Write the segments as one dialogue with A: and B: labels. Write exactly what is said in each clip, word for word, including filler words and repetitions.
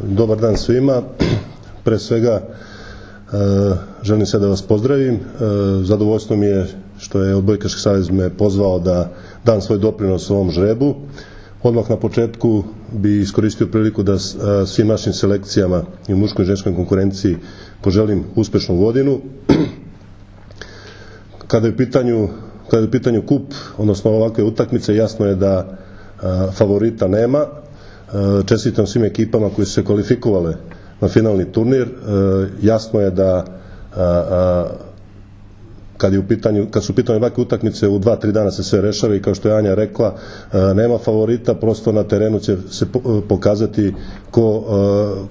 A: Dobar dan svima. Pre svega želim se da vas pozdravim. Zadovoljstvo mi je što je Odbojkaški savez me pozvao da dam svoj doprinos ovom žrebu. Odmah na početku bi iskoristio priliku da svim našim selekcijama i u muškoj i ženskoj konkurenciji poželim uspešnu godinu. Kada je u pitanju, kada je u pitanju kup, odnosno ovakve utakmice, jasno je da favorita nema. Čestitam svim ekipama koji su se kvalifikovale na finalni turnir. Jasno je da kad, je u pitanju, kad su u pitanju ovakve utakmice u dva, tri dana se sve rešava i kao što je Anja rekla, nema favorita, prosto na terenu će se pokazati ko,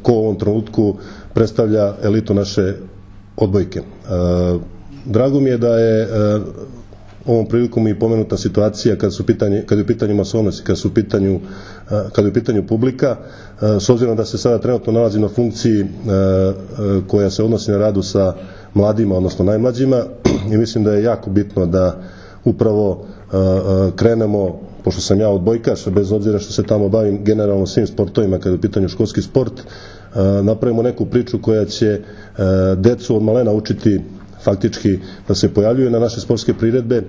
A: ko u ovom trenutku predstavlja elitu naše odbojke. Drago mi je da je ovom prilikom i pomenuta situacija kad su pitanje, kad je u pitanju masovnost i kad su u pitanju, kad je u pitanju publika, s obzirom da se sada trenutno nalazi na funkciji koja se odnosi na radu sa mladima, odnosno najmlađima, i mislim da je jako bitno da upravo krenemo, pošto sam ja odbojkaš, bez obzira što se tamo bavim generalno svim sportovima kada je u pitanju školski sport, napravimo neku priču koja će decu od malena učiti faktički da se pojavljuju na naše sportske priredbe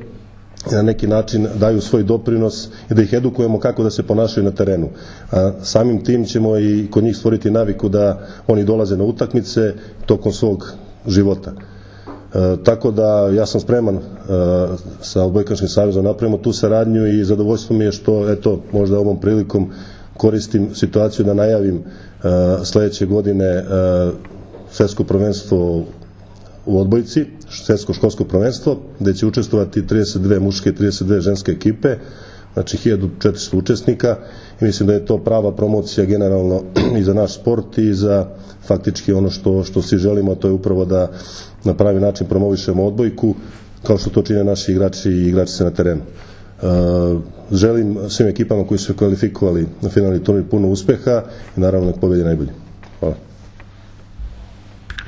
A: i na neki način daju svoj doprinos i da ih edukujemo kako da se ponašaju na terenu. A samim tim ćemo i kod njih stvoriti naviku da oni dolaze na utakmice tokom svog života. E, tako da ja sam spreman e, sa Odbojkaškim savezom napravimo tu saradnju i zadovoljstvo mi je što eto možda ovom prilikom koristim situaciju da najavim e, sledeće godine e, svetsko prvenstvo u odbojci, svetsko školsko prvenstvo, gde će učestvovati trideset dve muške i trideset dve ženske ekipe, znači hiljadu četiristo učesnika, i mislim da je to prava promocija generalno i za naš sport i za faktički ono što, što svi želimo, a to je upravo da na pravi način promovišemo odbojku, kao što to čine naši igrači i igračice na terenu. Želim svim ekipama koji su se kvalifikovali na finalni turnir puno uspeha i naravno nek pobedi najbolji. Hvala.